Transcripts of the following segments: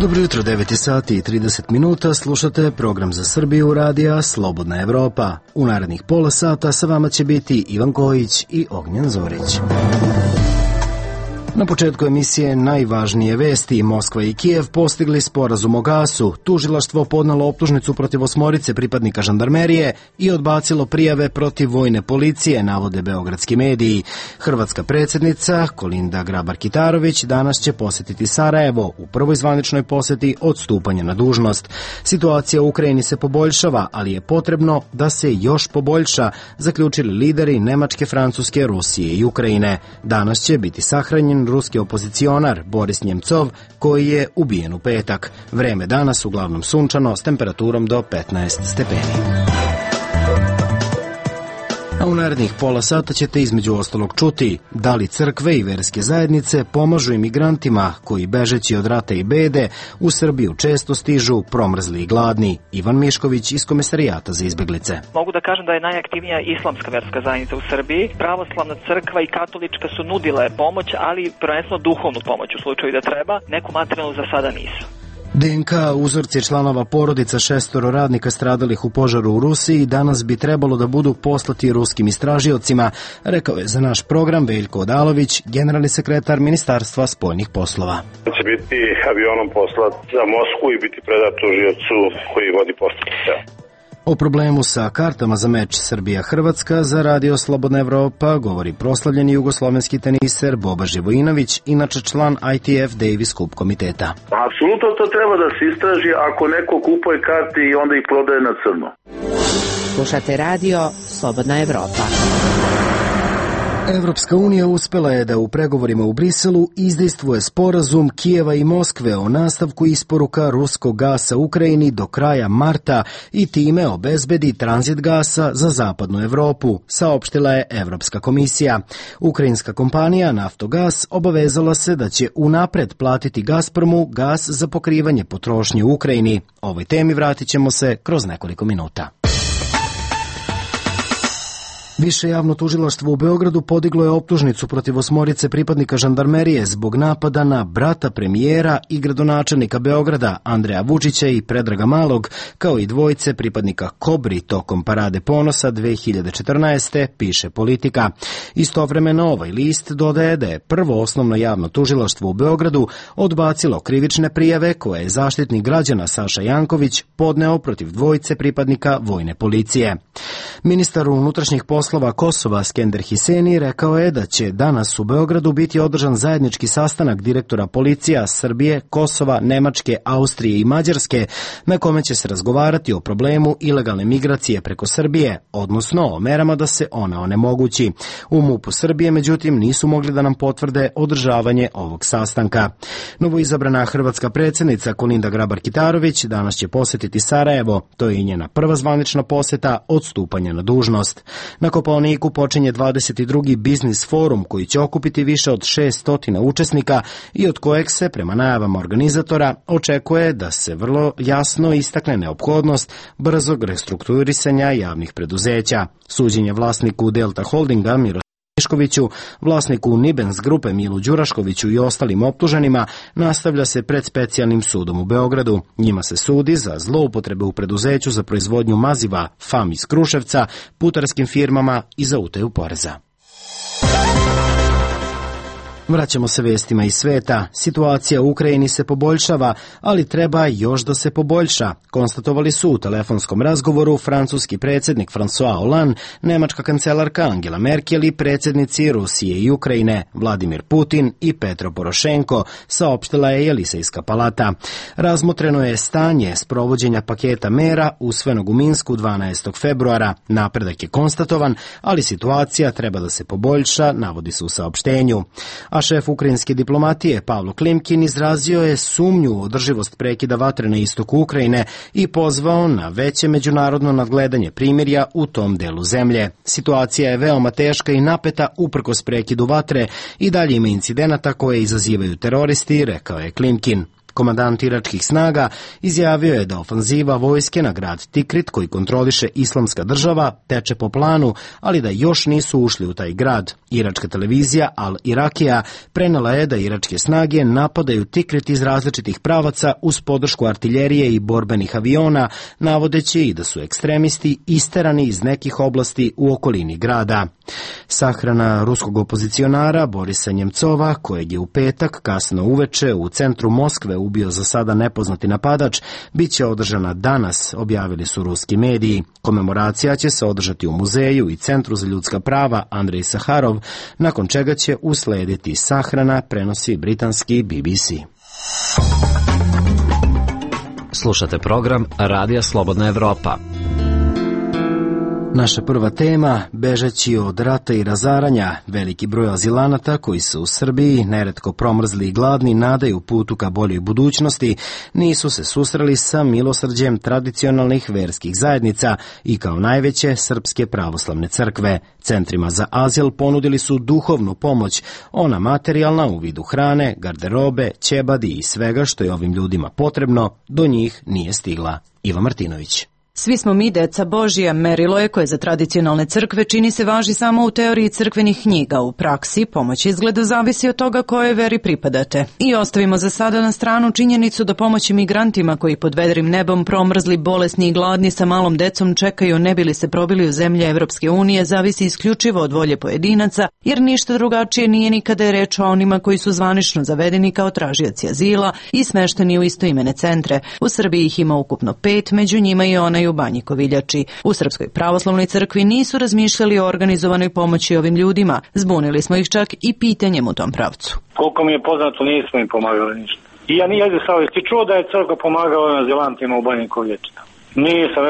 Dobro jutro, 9 sati i 30 minuta, slušate program za Srbiju radija Slobodna Evropa. U narednih pola sata sa vama će biti Ivan Kojić i Ognjen Zorić. Na početku emisije najvažnije vesti. Moskva i Kijev postigli sporazum o gasu. Tužilaštvo podnelo optužnicu protiv 8 pripadnika žandarmerije i odbacilo prijave protiv vojne policije, navode beogradski mediji. Hrvatska predsjednica Kolinda Grabar-Kitarović danas će posjetiti Sarajevo u prvoj zvaničnoj posjeti od stupanja na dužnost. Situacija u Ukrajini se poboljšava, ali je potrebno da se još poboljša, zaključili lideri Nemačke, Francuske, Rusije i Ukrajine. Danas će biti sahranjen ruski opozicionar Boris Njemcov, koji je ubijen u petak. Vreme danas uglavnom sunčano s temperaturom do 15 stepeni. A u narednih pola sata ćete između ostalog čuti da li crkve i verske zajednice pomažu imigrantima koji bežeći od rata i bede u Srbiju često stižu promrzli i gladni. Ivan Mišković iz Komesarijata za izbeglice. Mogu da kažem da je najaktivnija islamska verska zajednica u Srbiji. Pravoslavna crkva i katolička su nudile pomoć, ali prvenstveno duhovnu pomoć u slučaju da treba. Neku materijalnu za sada nisu. DNK uzorci članova porodica 6 radnika stradalih u požaru u Rusiji danas bi trebalo da budu poslati ruskim istražiocima, rekao je za naš program Veljko Odalović, generalni sekretar Ministarstva spoljnih poslova. Će biti avionom poslat za Moskvu i biti predat tužiocu koji vodi postupak. O problemu sa kartama za meč Srbija-Hrvatska za radio Slobodna Evropa govori proslavljeni jugoslovenski teniser Boba Živojinović, inače član ITF Davis Cup komiteta. Apsolutno to treba da se istraži ako neko kupuje karte i onda ih prodaje na crno. Slušate radio Slobodna Evropa. Evropska unija uspela je da u pregovorima u Briselu izdejstvuje sporazum Kijeva i Moskve o nastavku isporuka ruskog gasa Ukrajini do kraja marta i time obezbedi tranzit gasa za zapadnu Evropu, saopštila je Evropska komisija. Ukrajinska kompanija Naftogas obavezala se da će unapred platiti Gazpromu gas za pokrivanje potrošnje u Ukrajini. Ovoj temi vratit ćemo se kroz nekoliko minuta. Više javno tužilaštvo u Beogradu podiglo je optužnicu protiv 8 pripadnika žandarmerije zbog napada na brata premijera i gradonačelnika Beograda Andreja Vučića i Predraga Malog, kao i 2 pripadnika Kobri tokom Parade ponosa 2014. piše Politika. Istovremeno ovaj list dodaje da je prvo osnovno javno tužilaštvo u Beogradu odbacilo krivične prijave koje je zaštitnik građana Saša Janković podneo protiv 2 pripadnika vojne policije. Ministar unutrašnjih poslova Kosova Skender Hiseni rekao je da će danas u Beogradu biti održan zajednički sastanak direktora policija Srbije, Kosova, Nemačke, Austrije i Mađarske, na kome će se razgovarati o problemu ilegalne migracije preko Srbije, odnosno o merama da se ona onemogući. U MUP-u Srbije, međutim, nisu mogli da nam potvrde održavanje ovog sastanka. Novoizabrana hrvatska predsjednica Kolinda Grabar-Kitarović danas će posjetiti Sarajevo. To je i njena prva zvanična posjeta od stupanja na dužnost. Na Kopaoniku počinje 22. biznis forum koji će okupiti više od 600 učesnika i od kojeg se, prema najavama organizatora, očekuje da se vrlo jasno istakne neophodnost brzog restrukturisanja javnih preduzeća. Suđenje vlasniku Delta Holdinga Miškoviću, vlasniku Nibens grupe Milu Đuraškoviću i ostalim optuženima nastavlja se pred specijalnim sudom u Beogradu. Njima se sudi za zloupotrebe u preduzeću za proizvodnju maziva FAM iz Kruševca, putarskim firmama i za utaju poreza. Vraćamo se vestima iz sveta. Situacija u Ukrajini se poboljšava, ali treba još da se poboljša, konstatovali su u telefonskom razgovoru francuski predsjednik François Hollande, nemačka kancelarka Angela Merkel i predsjednici Rusije i Ukrajine Vladimir Putin i Petro Porošenko, saopštila je Jelisejska palata. Razmotreno je stanje sprovođenja paketa mera usvojenog u Minsku 12. februara. Napredak je konstatovan, ali situacija treba da se poboljša, navodi se u saopštenju. A šef ukrajinske diplomatije Pavlo Klimkin izrazio je sumnju u održivost prekida vatre na istoku Ukrajine i pozvao na veće međunarodno nadgledanje primirja u tom delu zemlje. Situacija je veoma teška i napeta uprkos prekidu vatre i dalje ima incidenata koje izazivaju teroristi, rekao je Klimkin. Komandant iračkih snaga izjavio je da ofanziva vojske na grad Tikrit, koji kontroliše Islamska država, teče po planu, ali da još nisu ušli u taj grad. Iračka televizija Al Irakija prenela je da iračke snage napadaju Tikrit iz različitih pravaca uz podršku artiljerije i borbenih aviona, navodeći i da su ekstremisti isterani iz nekih oblasti u okolini grada. Sahrana ruskog opozicionara Borisa Njemcova, kojeg je u petak kasno uveče u centru Moskve ubio za sada nepoznati napadač, bit će održana danas, objavili su ruski mediji. Komemoracija će se održati u muzeju i Centru za ljudska prava Andrej Saharov, nakon čega će uslediti sahrana, prenosi britanski BBC. Slušate program Radija Slobodna Evropa. Naša prva tema, bežeći od rata i razaranja, veliki broj azilanata koji se u Srbiji, neretko promrzli i gladni, nadaju putu ka boljoj budućnosti, nisu se susreli sa milosrđem tradicionalnih verskih zajednica i kao najveće Srpske pravoslavne crkve. Centrima za azil ponudili su duhovnu pomoć, ona materijalna u vidu hrane, garderobe, ćebadi i svega što je ovim ljudima potrebno, do njih nije stigla. Iva Martinović. Svi smo mi deca Božija, merilo je koje za tradicionalne crkve čini se važi samo u teoriji crkvenih knjiga. U praksi pomoć izgleda zavisi od toga kojoj veri pripadate. I ostavimo za sada na stranu činjenicu da pomoći migrantima koji pod vedrim nebom promrzli, bolesni i gladni sa malom decom čekaju ne bi li se probili u zemlje Evropske unije zavisi isključivo od volje pojedinaca, jer ništa drugačije nije ni kada je reč o onima koji su zvanično zavedeni kao tražioci azila i smešteni u istoimene centre. U Srbiji ih ima ukupno 5, među njima i onaj u Banji Koviljači. U Srpskoj pravoslavnoj crkvi nisu razmišljali o organizovanoj pomoći ovim ljudima. Zbunili smo ih čak i pitanjem u tom pravcu. Koliko mi je poznato, nismo im pomagali ništa. I ja ti čuo da je crkva pomagala azilantima u Banji Koviljači? Nisam,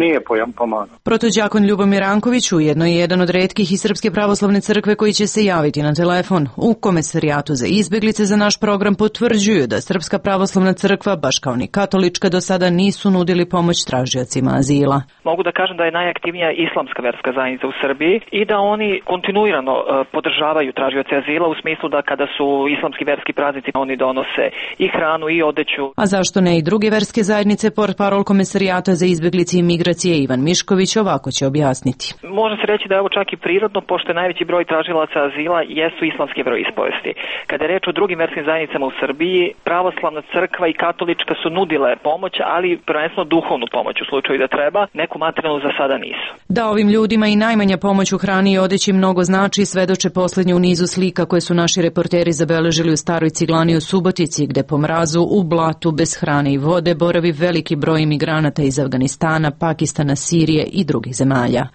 nije pomagao. Protođakon Ljubomir Ranković ujedno je jedan od retkih iz Srpske pravoslavne crkve koji će se javiti na telefon. U Komesarijatu za izbeglice za naš program potvrđuju da Srpska pravoslavna crkva, baš kao ni katolička, do sada nisu nudili pomoć tražiocima azila. Mogu da kažem da je najaktivnija islamska verska zajednica u Srbiji i da oni kontinuirano podržavaju tražioce azila u smislu da kada su islamski verski praznici oni donose i hranu i odeću. A zašto ne i druge verske zajednice? Portparol Komesarijata za izbeglice i migracije Ivan Mišković ovako će objasniti. Može se reći da je ovo čak i prirodno, pošto je najveći broj tražilaca azila jesu islamske veroispovesti. Kada je reč o drugim verskim zajednicama u Srbiji, pravoslavna crkva i katolička su nudile pomoć, ali prvenstveno duhovnu pomoć u slučaju da treba, neku materijalnu za sada nisu. Da ovim ljudima i najmanja pomoć u hrani i odeći mnogo znači, svedoče poslednje u nizu slika koje su naši reporteri zabeležili u Staroj Ciglani u Subotici, gde po mrazu, u blatu, bez hrane i vode boravi veliki broj imigranata iz Afganistana, Pakistana, Sirije i drugih zemalja.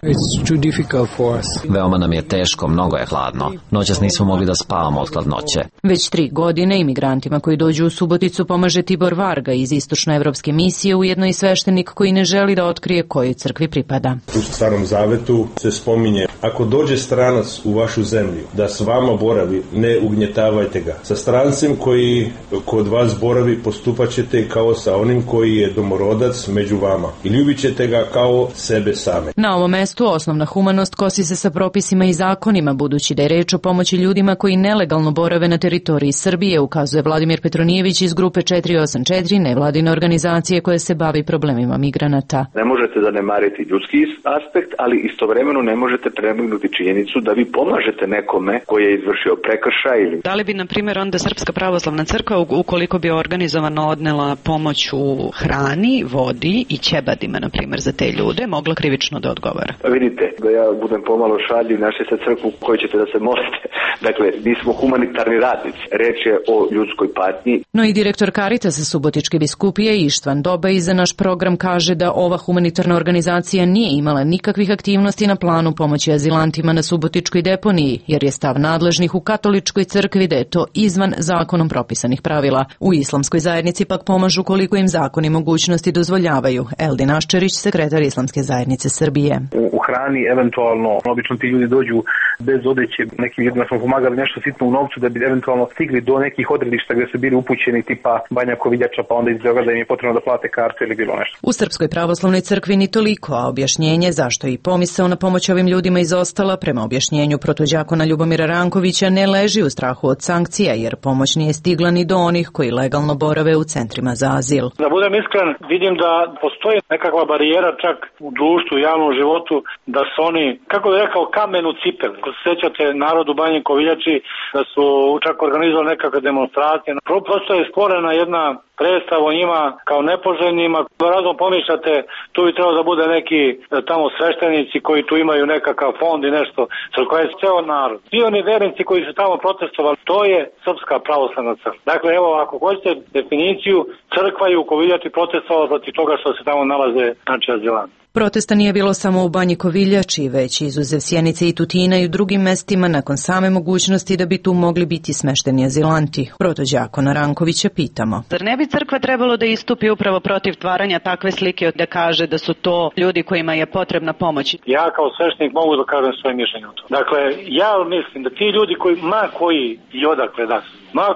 Veoma nam je teško, mnogo je hladno. Noćas nismo mogli da spavamo od hladnoće. Već 3 godine imigrantima koji dođu u Suboticu pomaže Tibor Varga iz Istočnoevropske misije, ujedno i sveštenik koji ne želi da otkrije kojoj crkvi pripada. U Starom Zavetu se spominje: ako dođe stranac u vašu zemlju da s vama boravi, ne ugnjetavajte ga. Sa strancem koji kod vas boravi postupat ćete kao sa onim koji je domorodac među vama i ljubit ćete ga kao sebe same. Na ovom mestu osnovna humanost kosi se sa propisima i zakonima, budući da je reč o pomoći ljudima koji nelegalno borave na teritoriji Srbije, ukazuje Vladimir Petronijević iz grupe 484, nevladine organizacije koje se bavi problemima migranata. Ne možete zanemariti ljudski aspekt, ali istovremeno ne možete prenagnuti činjenicu da vi pomažete nekome koji je izvršio prekršaj. Da li bi, na primjer, onda Srpska pravoslavna crkva, ukoliko bi organizovano odnela pomoć u hrani, vodi i ćebadima, na primjer, za te ljude, mogla krivično da odgovara? Vidite, da ja budem pomalo šaljiv, našli se crkvu koju ćete da se molite. Dakle, mi smo humanitarni radnici. Reč je o ljudskoj patnji. No i direktor Karitasa Subotičke biskupije Ištvan Dobaj za naš program kaže da ova humanitarna organizacija nije imala nikakvih aktivnosti na planu pomoći azilantima na Subotičkoj deponiji, jer je stav nadležnih u katoličkoj crkvi da je to izvan zakonom propisanih pravila. U islamskoj zajednici pak pomažu koliko im zakoni mogućnosti dozvoljavaju. Eldin Aščerić, sekretar Islamske zajednice Srbije. U hrani, eventualno obično ti ljudi dođu bez odeće, nekim ljudima smo pomagali nešto sitno u novcu da bi eventualno stigli do nekih odredišta gdje su bili upućeni tipa Banja Koviljača, pa onda iz Beograda im je potrebno da plate kartu ili bilo nešto. U Srpskoj pravoslavnoj crkvi ni toliko, a objašnjenje zašto i pomisao na pomoć ovim ljudima izostala, prema objašnjenju protođakona Ljubomira Rankovića, ne leži u strahu od sankcija, jer pomoć nije stigla ni do onih koji legalno borave u centrima za azil. Da budem iskren, vidim da postoji nekakva barijera čak u društvu, u javnom životu, da su oni, kako bih rekao, kamen u cipeli. Ako se sjećate narod u Banji Koviljači, da su čak organizovali nekakve demonstracije. Prosto je stvorena jedna predstava o njima kao nepoželjnima. Razom pomišljate, tu bi trebalo da bude neki tamo sveštenici koji tu imaju nekakav fond i nešto. Crkva je ceo narod. Svi oni vernici koji su tamo protestovali, to je Srpska pravoslavna crkva. Dakle, evo, ako hoćete definiciju, crkva je u Koviljači protestovala protiv toga što se tamo nalaze, znači, azilanti. Protesta nije bilo samo u Banji Koviljači, već izuzev Sjenice i Tutina i u drugim mestima nakon same mogućnosti da bi tu mogli biti smešteni azilanti. Protođakona Rankovića pitamo. Zar ne bi crkva trebalo da istupi upravo protiv tvaranja takve slike, da kaže da su to ljudi kojima je potrebna pomoć? Ja kao sveštenik mogu da kažem svoje mišljenje o to. Dakle, ja mislim da ti ljudi koji i odakle da su,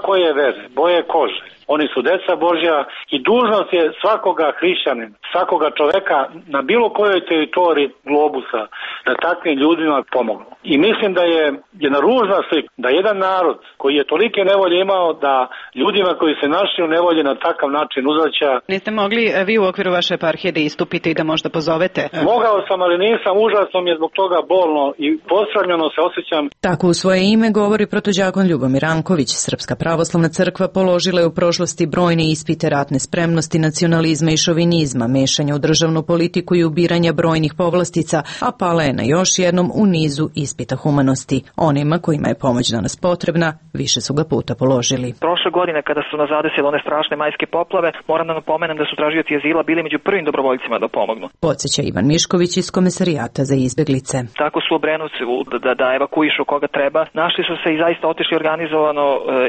koje vere, boje kože, oni su deca Božja i dužnost je svakoga hrišćanina, svakoga čoveka na bilo kojoj teritoriji globusa da takvim ljudima pomognu. I mislim da je jedna ružna slika da jedan narod koji je tolike nevolje imao da ljudima koji se našli u nevolji na takav način uzvraća. Niste mogli vi u okviru vaše eparhije da istupite i da možda pozovete? Mogao sam, ali nisam, užasno mi je zbog toga bolno i posramljeno se osjećam. Tako u svoje ime govori protođakon Ljubomir Ranković. Srpska pravoslavna crkva položila je u prošlosti brojne ispite ratne spremnosti, nacionalizma i šovinizma, mešanja u državnu politiku i ubiranja brojnih povlastica, a pala je na još jednom u nizu ispita humanosti. Onima kojima je pomoć danas potrebna, više su ga puta položili. Prošle godine kada su nas zadesile one strašne majske poplave, moram da napomenem da su tražioci azila bili među prvim dobrovoljcima da pomognu. Podsjeća Ivan Mišković iz Komesarijata za izbeglice. Tako su Obrenovci da evakuišu koga treba. Našli su se i zaista otišli organizovano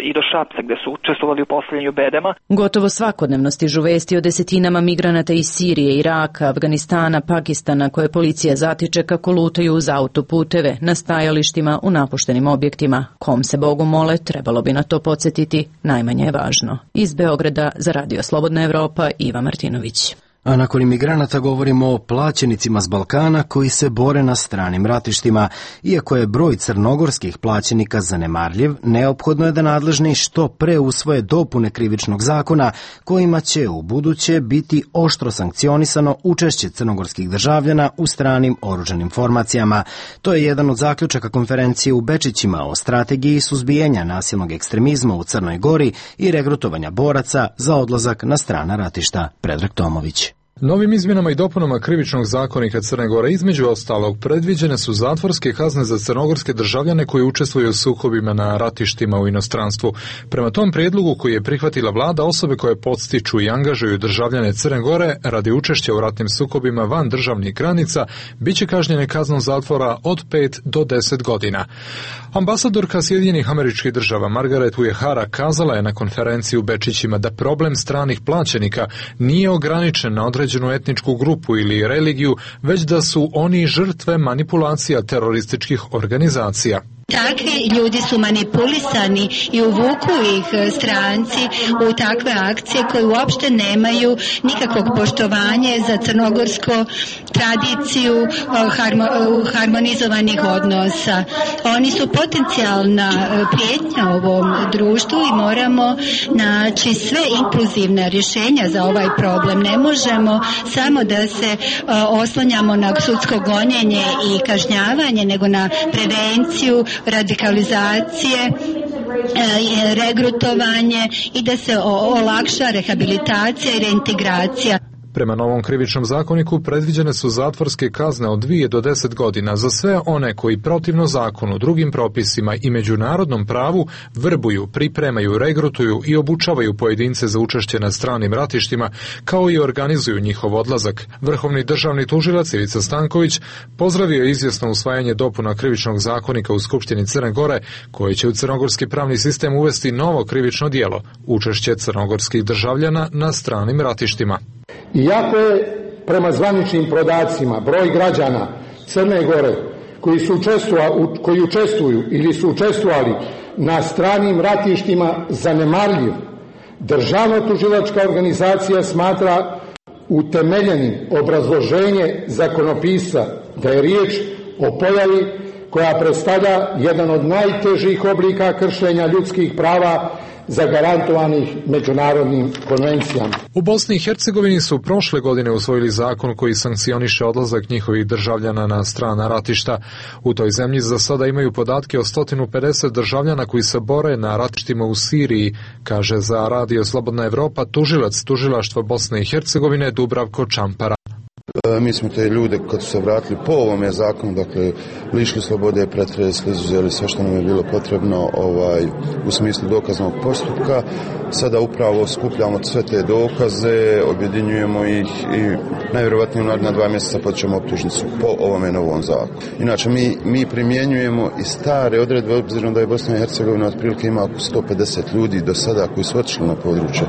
i do Šapca gde su učestvovali u postavljanju bedema. Gotovo svakodnevno stižu vesti o desetinama migranata iz Sirije, Iraka, Afganistana, Pakistana koje policija zatiče kako lutaju uz autoputeve, na stajalištima, u napuštenim objektima. Kom se Bogu mole, trebalo bi na to podsjetiti, najmanje je važno. Iz Beograda za Radio Slobodna Evropa, Iva Martinović. A nakon imigranata govorimo o plaćenicima s Balkana koji se bore na stranim ratištima. Iako je broj crnogorskih plaćenika zanemarljiv, neophodno je da nadležni što pre usvoje dopune krivičnog zakona kojima će u buduće biti oštro sankcionisano učešće crnogorskih državljana u stranim oružanim formacijama. To je jedan od zaključaka konferencije u Bečićima o strategiji suzbijanja nasilnog ekstremizma u Crnoj Gori i regrutovanja boraca za odlazak na strana ratišta. Predrag Tomović. Novim izmjenama i dopunama krivičnog zakonika Crne Gore između ostalog predviđene su zatvorske kazne za crnogorske državljane koji učestvuju u sukobima na ratištima u inostranstvu. Prema tom prijedlogu koji je prihvatila vlada, osobe koje podstiču i angažuju državljane Crne Gore radi učešća u ratnim sukobima van državnih granica biće kažnjene kaznom zatvora od 5 do 10 godina. Ambasadorka Sjedinjenih Američkih Država Margaret Uehara kazala je na konferenciji u Bečićima da problem stranih plaćenika nije ograničen na određenu etničku grupu ili religiju, već da su oni žrtve manipulacija terorističkih organizacija. Takvi ljudi su manipulisani i uvuku ih stranci u takve akcije koje uopšte nemaju nikakvog poštovanja za crnogorsko tradiciju harmonizovanih odnosa. Oni su potencijalna prijetnja ovom društvu i moramo naći sve inkluzivne rješenja za ovaj problem. Ne možemo samo da se oslanjamo na sudsko gonjenje i kažnjavanje, nego na prevenciju, radikalizacije, regrutovanje i da se olakša rehabilitacija i reintegracija. Prema novom krivičnom zakoniku predviđene su zatvorske kazne od 2 do 10 godina za sve one koji protivno zakonu, drugim propisima i međunarodnom pravu vrbuju, pripremaju, regrutuju i obučavaju pojedince za učešće na stranim ratištima, kao i organizuju njihov odlazak. Vrhovni državni tužilac Ivica Stanković pozdravio je izvjesno usvajanje dopuna krivičnog zakonika u Skupštini Crne Gore, koje će u crnogorski pravni sistem uvesti novo krivično djelo, učešće crnogorskih državljana na stranim ratištima. Iako je prema zvaničnim podacima broj građana Crne Gore koji učestvuju ili su učestvovali na stranim ratištima zanemarljiv, državno-tužilačka organizacija smatra utemeljenim obrazloženje zakonopisca da je riječ o pojavi koja predstavlja jedan od najtežih oblika kršenja ljudskih prava zagarantovanih međunarodnim konvencijama. U Bosni i Hercegovini su prošle godine usvojili zakon koji sankcioniše odlazak njihovih državljana na strana ratišta. U toj zemlji za sada imaju podatke o 150 državljana koji se bore na ratištima u Siriji, kaže za Radio Slobodna Evropa tužilac Tužilaštva Bosne i Hercegovine Dubravko Čampara. Mi smo te ljude kad su se vratili po ovome zakonu, dakle, lišili slobode, pretresli, izuzeli sve što nam je bilo potrebno u smislu dokaznog postupka. Sada upravo skupljamo sve te dokaze, objedinjujemo ih i najvjerovatnije u naredna 2 mjeseca počnemo optužnicu po ovome novom zakonu. Inače, mi primjenjujemo i stare odredbe, obzirom da je Bosna i Hercegovina otprilike ima oko 150 ljudi do sada koji su otišli na područje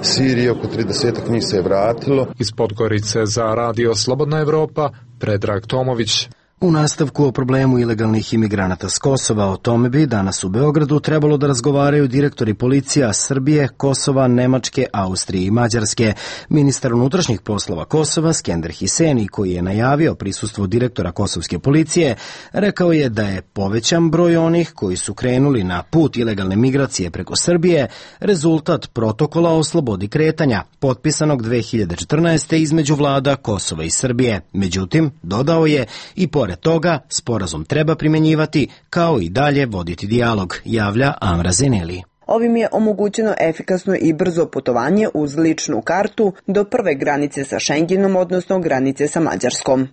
Sirije, oko 30 njih se je vratilo. Iz Podgorice za Radio Slobodna Evropa, Predrag Tomović. U nastavku o problemu ilegalnih imigranata s Kosova, o tome bi danas u Beogradu trebalo da razgovaraju direktori policija Srbije, Kosova, Nemačke, Austrije i Mađarske. Ministar unutrašnjih poslova Kosova, Skender Hiseni, koji je najavio prisustvo direktora kosovske policije, rekao je da je povećan broj onih koji su krenuli na put ilegalne migracije preko Srbije rezultat protokola o slobodi kretanja, potpisanog 2014. između vlada Kosova i Srbije. Međutim, dodao je, i pored toga, sporazum treba primjenjivati kao i dalje voditi dijalog, javlja Amra Zeneli. Ovim je omogućeno efikasno i brzo putovanje uz ličnu kartu do prve granice sa Šengenom, odnosno granice sa Mađarskom.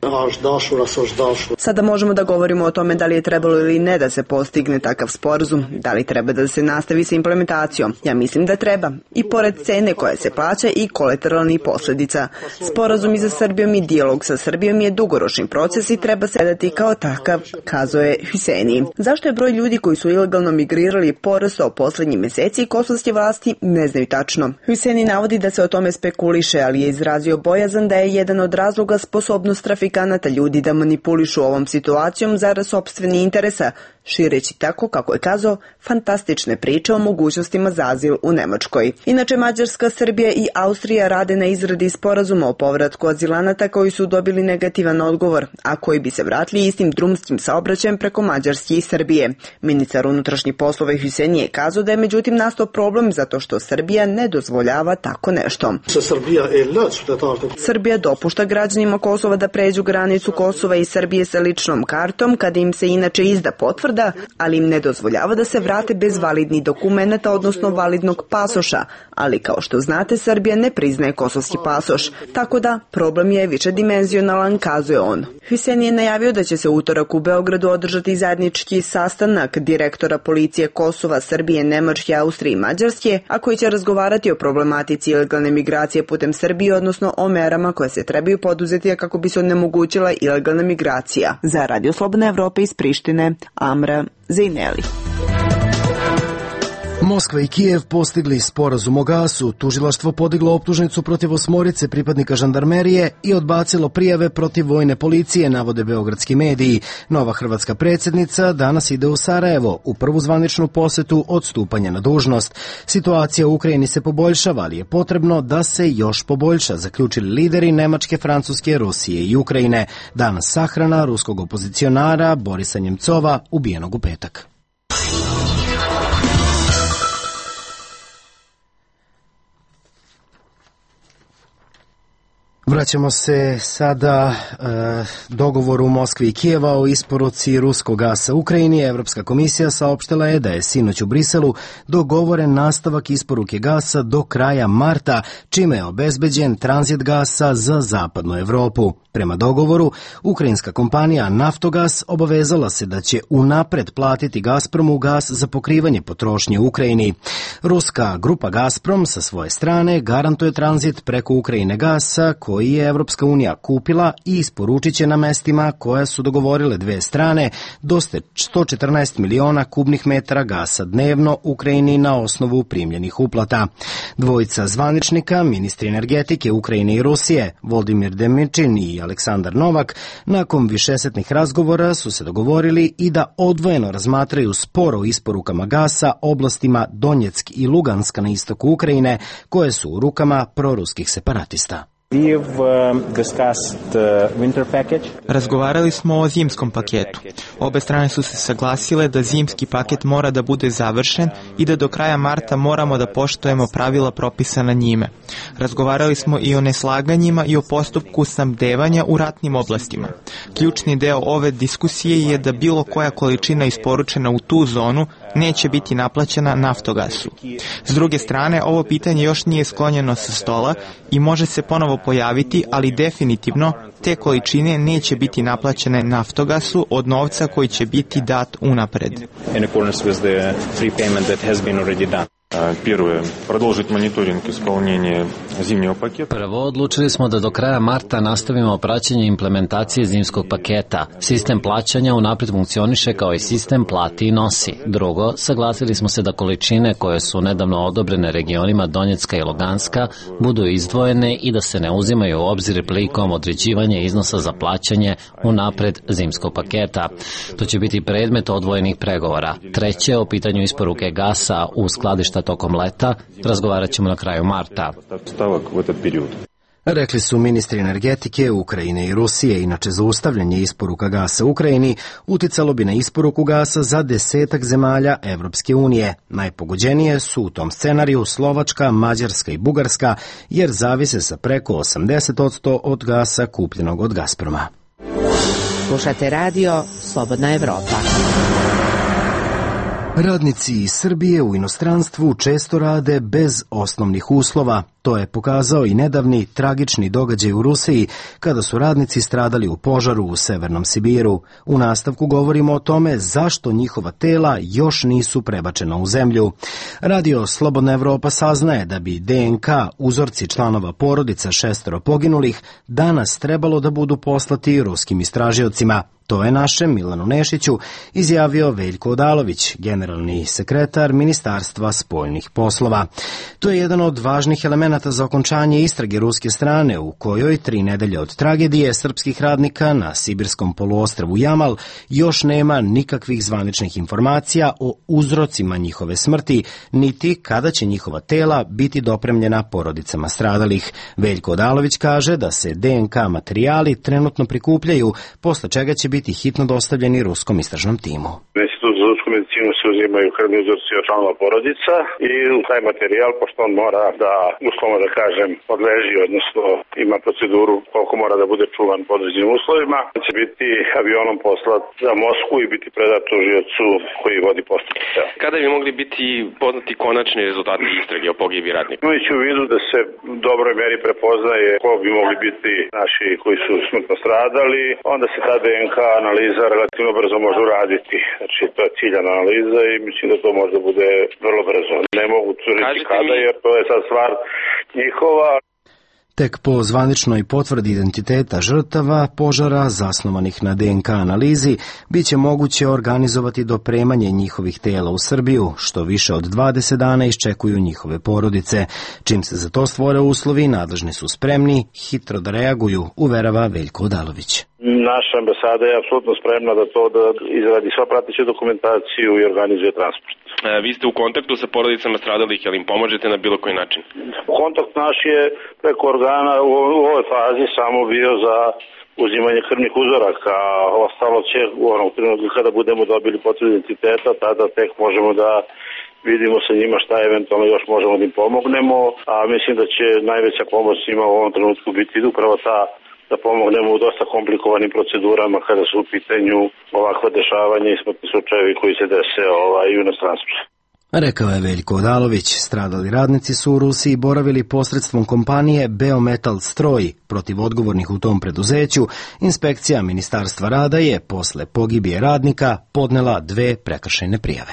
Sada možemo da govorimo o tome da li je trebalo ili ne da se postigne takav sporazum, da li treba da se nastavi sa implementacijom. Ja mislim da treba. I pored cene koja se plaća i kolateralnih posljedica. Sporazum i za Srbijom i dijalog sa Srbijom je dugoročni proces i treba se gledati kao takav, kazao je Huseni. Zašto je broj ljudi koji su ilegalno migrirali porastao poslednjim meseci, kosovske vlasti ne znaju tačno. Huseni navodi da se o tome spekuliše, ali je izrazio bojazan da je jedan od razloga sposobnost trafikanata ljudi da manipulišu ovom situacijom zarad sopstveni interesa, šireći tako, kako je kazao, fantastične priče o mogućnostima za azil u Nemačkoj. Inače, Mađarska, Srbija i Austrija rade na izradi sporazuma o povratku azilanata koji su dobili negativan odgovor, a koji bi se vratili istim drumskim saobraćajem preko Mađarske i Srbije. Ministar unutrašnjih poslova Huseni je kazao da je međutim nastao problem zato što Srbija ne dozvoljava tako nešto. Srbija dopušta građanima Kosova da pređu granicu Kosova i Srbije sa ličnom kartom kada im se inače izda potvrda, ali im ne dozvoljava da se vrate bez validnih dokumenata, odnosno validnog pasoša, ali kao što znate, Srbija ne priznaje kosovski pasoš, tako da problem je višedimenzionalan, kazuje on. Huseni je najavio da će se utorak u Beogradu održati zajednički sastanak direktora policije Kosova, Srbije, Nemačke, Austrije i Mađarske, a koji će razgovarati o problematici ilegalne migracije putem Srbije, odnosno o merama koje se trebaju poduzeti kako bi se onemogućila ilegalna migracija. Za Radio Slobodna Evropa iz Prištine, Amra Zeneli. Moskva i Kijev postigli sporazum o gasu, tužilaštvo podiglo optužnicu protiv 8 pripadnika žandarmerije i odbacilo prijave protiv vojne policije, navode beogradski mediji. Nova hrvatska predsjednica danas ide u Sarajevo u prvu zvaničnu posetu od stupanja na dužnost. Situacija u Ukrajini se poboljšava, ali je potrebno da se još poboljša, zaključili lideri Nemačke, Francuske, Rusije i Ukrajine. Danas sahrana ruskog opozicionara Borisa Njemcova, ubijenog u petak. Vraćamo se sada dogovoru Moskve i Kijeva o isporuci ruskog gasa Ukrajini. Evropska komisija saopštila je da je sinoć u Briselu dogovoren nastavak isporuke gasa do kraja marta, čime je obezbeđen tranzit gasa za zapadnu Evropu. Prema dogovoru, ukrajinska kompanija Naftogas obavezala se da će unapred platiti Gazpromu gas za pokrivanje potrošnje u Ukrajini. Ruska grupa Gazprom sa svoje strane garantuje tranzit preko Ukrajine gasa koji je Evropska unija kupila i isporučit će na mestima koja su dogovorile dve strane do 114 miliona kubnih metara gasa dnevno Ukrajini na osnovu primljenih uplata. Dvojica zvaničnika, ministri energetike Ukrajine i Rusije, Voldimir Demičin i Aleksandar Novak, nakon višesetnih razgovora su se dogovorili i da odvojeno razmatraju spor o isporukama gasa oblastima Donjeck i Luganska na istoku Ukrajine, koje su u rukama proruskih separatista. Razgovarali smo o zimskom paketu. Obe strane su se saglasile da zimski paket mora da bude završen i da do kraja marta moramo da poštujemo pravila propisana njime. Razgovarali smo i o neslaganjima i o postupku snabdevanja u ratnim oblastima. Ključni deo ove diskusije je da bilo koja količina isporučena u tu zonu neće biti naplaćena Naftogasu. S druge strane, ovo pitanje još nije sklonjeno sa stola i može se ponovo pojaviti, ali definitivno te količine neće biti naplaćene Naftogasu od novca koji će biti dat unapred. Prvo, odlučili smo da do kraja marta nastavimo praćenje implementacije zimskog paketa. Sistem plaćanja unapred funkcioniše kao i sistem plati i nosi. Drugo, saglasili smo se da količine koje su nedavno odobrene regionima Donjecka i Luganska budu izdvojene i da se ne uzimaju u obzir prilikom određivanja iznosa za plaćanje unapred zimskog paketa. To će biti predmet odvojenih pregovora. Treće, o pitanju isporuke gasa u skladišta tokom leta razgovarat ćemo na kraju marta. Rekli su ministri energetike Ukrajine i Rusije. Inače, zaustavljanje isporuka gasa Ukrajini uticalo bi na isporuku gasa za 10 zemalja Evropske unije. Najpogođenije su u tom scenariju Slovačka, Mađarska i Bugarska, jer zavise sa preko 80% od gasa kupljenog od Gazproma. Slušate radio Slobodna Evropa. Radnici iz Srbije u inostranstvu često rade bez osnovnih uslova. To je pokazao i nedavni tragični događaj u Rusiji, kada su radnici stradali u požaru u Severnom Sibiru. U nastavku govorimo o tome zašto njihova tela još nisu prebačena u zemlju. Radio Slobodna Evropa saznaje da bi DNK, uzorci članova porodica 6 poginulih, danas trebalo da budu poslati ruskim istražiocima. To je našem Milanu Nešiću izjavio Veljko Odalović, generalni sekretar Ministarstva spoljnih poslova. To je jedan od važnih elemenata za okončanje istrage ruske strane, u kojoj 3 nedelje od tragedije srpskih radnika na sibirskom poluostrvu Jamal još nema nikakvih zvaničnih informacija o uzrocima njihove smrti, niti kada će njihova tela biti dopremljena porodicama stradalih. Veljko Odalović kaže da se DNK materijali trenutno prikupljaju, posle čega će biti hitno dostavljeni ruskom istražnom timu. Institut za ljudsku medicinu se uzimaju krvni uzorci od članova porodica i taj materijal, pošto on mora da, uslovno da kažem, podleži, odnosno ima proceduru koliko mora da bude čuvan po određenim uslovima, će biti avionom poslat za Moskvu i biti predat tužiocu koji vodi postupak. Kada bi mogli biti poznati konačni rezultati istrage o pogibi radnika? Imajući u vidu da se u dobroj meri prepoznaje ko bi mogli biti naši koji su smrtno stradali, onda se ta DNK analiza relativno brzo može uraditi. Znači, to je ciljana analiza i mislim da to možda bude vrlo brzo. Ne mogu reći kada, jer to je sad stvar njihova. Tek po zvaničnoj potvrdi identiteta žrtava požara zasnovanih na DNK analizi biće moguće organizovati dopremanje njihovih tela u Srbiju, što više od 20 dana iščekuju njihove porodice. Čim se za to stvore uslovi, nadležni su spremni hitro da reaguju, uverava Veljko Odalović. Naša ambasada je apsolutno spremna da to da izradi sva prateću dokumentaciju i organizuje transport. Vi ste u kontaktu sa porodicama stradalih, jel im pomožete na bilo koji način? Kontakt naš je preko organa u ovoj fazi samo bio za uzimanje krvnih uzoraka, a ostalo će u onom trenutku kada budemo dobili potvrdu identiteta, tada tek možemo da vidimo sa njima šta eventualno još možemo da im pomognemo, a mislim da će najveća pomoć njima u ovom trenutku biti upravo ta da pomognemo u dosta komplikovanim procedurama kada su u pitanju ovakva dešavanja i smrtni slučajevi koji se dese u inostranstvu. Rekao je Veljko Odalović. Stradali radnici su u Rusiji boravili posredstvom kompanije Beometal Stroj. Protiv odgovornih u tom preduzeću inspekcija Ministarstva rada je posle pogibije radnika podnela 2 prekršajne prijave.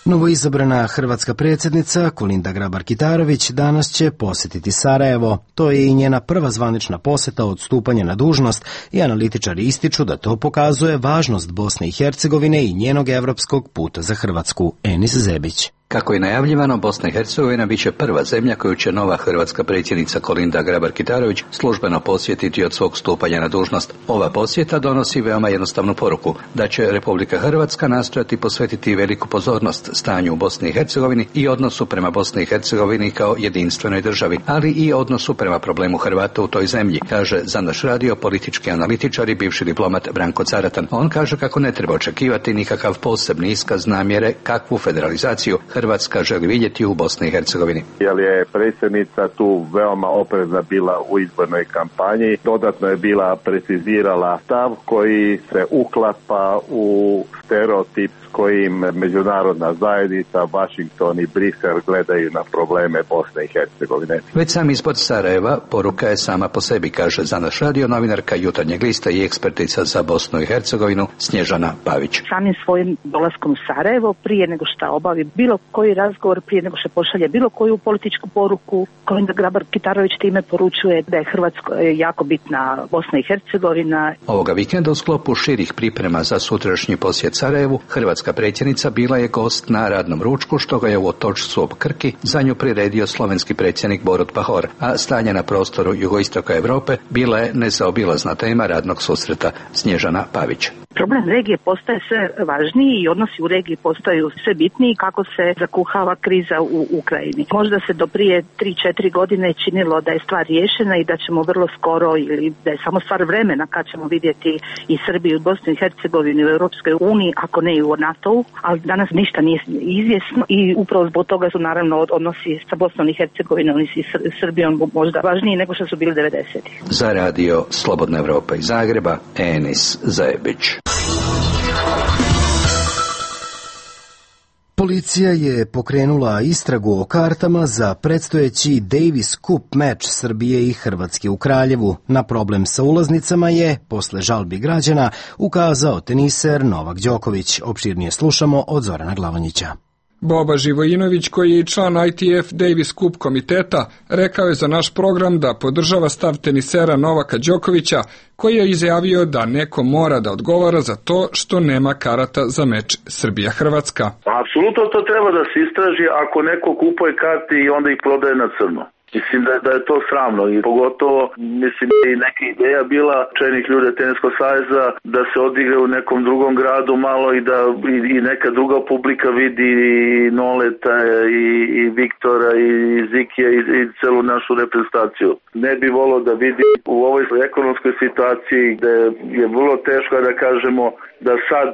Novoizabrana hrvatska predsjednica Kolinda Grabar-Kitarović danas će posjetiti Sarajevo. To je i njena prva zvanična posjeta od stupanja na dužnost i analitičari ističu da to pokazuje važnost Bosne i Hercegovine i njenog evropskog puta za Hrvatsku. Enis Zebić. Kako je najavljivano, Bosna i Hercegovina bit će prva zemlja koju će nova hrvatska predsjednica Kolinda Grabar-Kitarović službeno posjetiti od svog stupanja na dužnost. Ova posjeta donosi veoma jednostavnu poruku, da će Republika Hrvatska nastojati posvetiti veliku pozornost stanju u Bosni i Hercegovini i odnosu prema Bosni i Hercegovini kao jedinstvenoj državi, ali i odnosu prema problemu Hrvata u toj zemlji, kaže za naš radio politički analitičar i bivši diplomat Branko Caratan. On kaže kako ne treba očekivati nikakav posebni iskaz namjere kakvu federalizaciju Hrvatska želi vidjeti u Bosni i Hercegovini. Jer je predsjednica tu veoma oprezna bila u izbornoj kampanji, dodatno je bila precizirala stav koji se uklapa u stereotip kojim međunarodna zajednica, Washington i Brisel gledaju na probleme Bosne i Hercegovine. Već sam ispod Sarajeva poruka je sama po sebi, kaže za naš radio novinarka Jutarnjeg lista i ekspertica za Bosnu i Hercegovinu Snježana Pavić. Samim svojim dolaskom u Sarajevo, prije nego što obavi bilo koji razgovor, prije nego što pošalje bilo koju političku poruku, Kolinda Grabar-Kitarović time poručuje da je Hrvatskoj jako bitna Bosna i Hercegovina. Ovoga vikenda u sklopu širih priprema za sutrašnji posjet Sarajevu, hrvatska predsjednica bila je gost na radnom ručku, što ga je u Otočcu ob Krki za nju priredio slovenski predsjednik Borut Pahor, a stanje na prostoru jugoistoka Europe bila je nezaobilazna tema radnog susreta. Snježana Pavić. Problem regije postaje sve važniji i odnosi u regiji postaju sve bitniji kako se zakuhava kriza u Ukrajini. Možda se do prije 3-4 godine činilo da je stvar riješena i da ćemo vrlo skoro, ili da je samo stvar vremena kad ćemo vidjeti i Srbiju, Bosnu i Hercegovinu u Europskoj uniji, ako ne i u NATO-u, ali danas ništa nije izvjesno i upravo zbog toga su naravno odnosi sa Bosnom i Hercegovinom i Srbijom možda važniji nego što su bili 90-ih. Za radio Slobodna Evropa iz Zagreba, Enis Zajebić. Policija je pokrenula istragu o kartama za predstojeći Davis Cup meč Srbije i Hrvatske u Kraljevu. Na problem sa ulaznicama je, posle žalbi građana, ukazao teniser Novak Đoković. Opširnije slušamo od Zorana Glavonjića. Boba Živojinović, koji je i član ITF Davis Cup komiteta, rekao je za naš program da podržava stav tenisera Novaka Đokovića, koji je izjavio da neko mora da odgovara za to što nema karata za meč Srbija-Hrvatska. Apsolutno to treba da se istraži ako neko kupuje karte i onda ih prodaje na crno. Mislim da je to sramno i pogotovo mislim da je neka ideja bila čelnih ljudi Teniskog saveza da se odigra u nekom drugom gradu malo i da i neka druga publika vidi i Noleta i Viktora i Zikija i celu našu reprezentaciju. Ne bi volio da vidi u ovoj ekonomskoj situaciji gde je vrlo teško da kažemo da sad,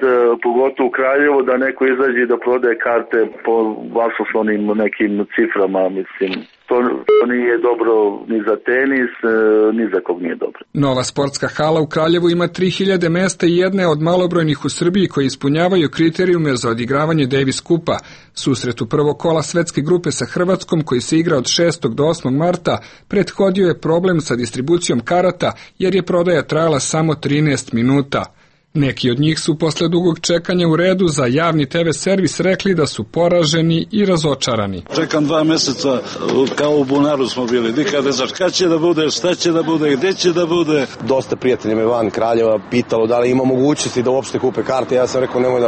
pogotovo u Kraljevo, da neko izađe da prodaje karte po vasoslovnim nekim ciframa, mislim. To nije dobro ni za tenis, ni za kog nije dobro. Nova sportska hala u Kraljevu ima 3000 mesta i jedne od malobrojnih u Srbiji koji ispunjavaju kriterijume za odigravanje Davis Cupa. Susret u prvog kola svetske grupe sa Hrvatskom, koji se igra od 6. do 8. marta, prethodio je problem sa distribucijom karata jer je prodaja trajala samo 13 minuta. Neki od njih su posle dugog čekanja u redu za javni TV servis rekli da su poraženi i razočarani. Čekam 2 meseca, kao u bunaru smo bili, nikad ne znaš kada će da bude, šta će da bude, gde će da bude. Dosta prijatelja me van Kraljeva pitalo da li ima mogućnosti da uopšte kupe karte, ja sam rekao nemoj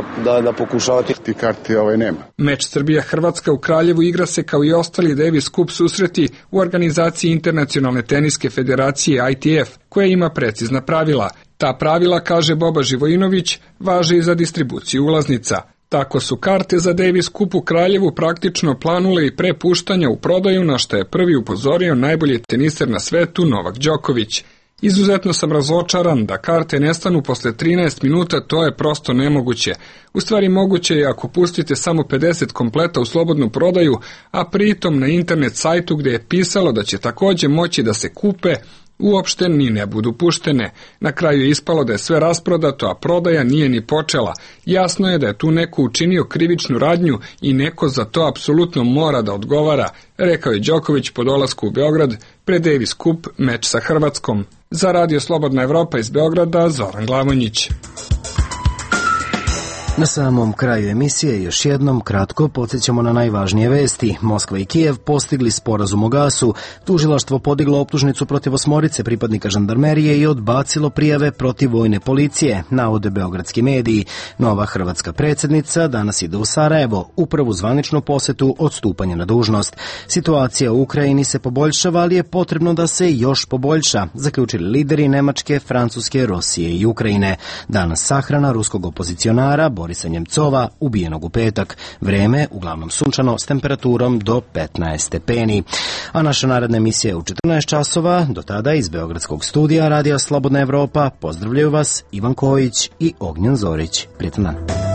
da pokušavati. Ti karte nema. Meč Srbija-Hrvatska u Kraljevu igra se kao i ostali Davis Cup susreti u organizaciji Internacionalne teniske federacije ITF, koja ima precizna pravila. Ta pravila, kaže Boba Živojinović, važe i za distribuciju ulaznica. Tako su karte za Davis Cup u Kraljevu praktično planule i pre puštanja u prodaju, na što je prvi upozorio najbolji teniser na svetu Novak Đoković. Izuzetno sam razočaran da karte nestanu posle 13 minuta, to je prosto nemoguće. U stvari moguće je ako pustite samo 50 kompleta u slobodnu prodaju, a pritom na internet sajtu gde je pisalo da će takođe moći da se kupe, uopšte ni ne budu puštene. Na kraju je ispalo da je sve rasprodato, a prodaja nije ni počela. Jasno je da je tu neko učinio krivičnu radnju i neko za to apsolutno mora da odgovara, rekao je Đoković po dolasku u Beograd pred Davis Cup meč sa Hrvatskom. Za radio Slobodna Evropa iz Beograda, Zoran Glavonjić. Na samom kraju emisije još jednom kratko podsjećamo na najvažnije vesti. Moskva i Kijev postigli sporazum o gasu, tužilaštvo podiglo optužnicu protiv 8 pripadnika žandarmerije i odbacilo prijave protiv vojne policije, navode beogradski mediji. Nova hrvatska predsjednica danas ide u Sarajevo, u prvu zvaničnu posetu od stupanja na dužnost. Situacija u Ukrajini se poboljšava, ali je potrebno da se još poboljša, zaključili lideri Nemačke, Francuske, Rusije i Ukrajine. Danas sahrana ruskog opozicionara Borisa Njemcova, ubijenog u petak. Vreme uglavnom sunčano s temperaturom do 15 stepeni. A naša naredna emisija je u 14 časova. Do tada iz beogradskog studija Radija Slobodna Evropa pozdravljaju vas Ivan Kojić i Ognjen Zorić. Prijetan dan.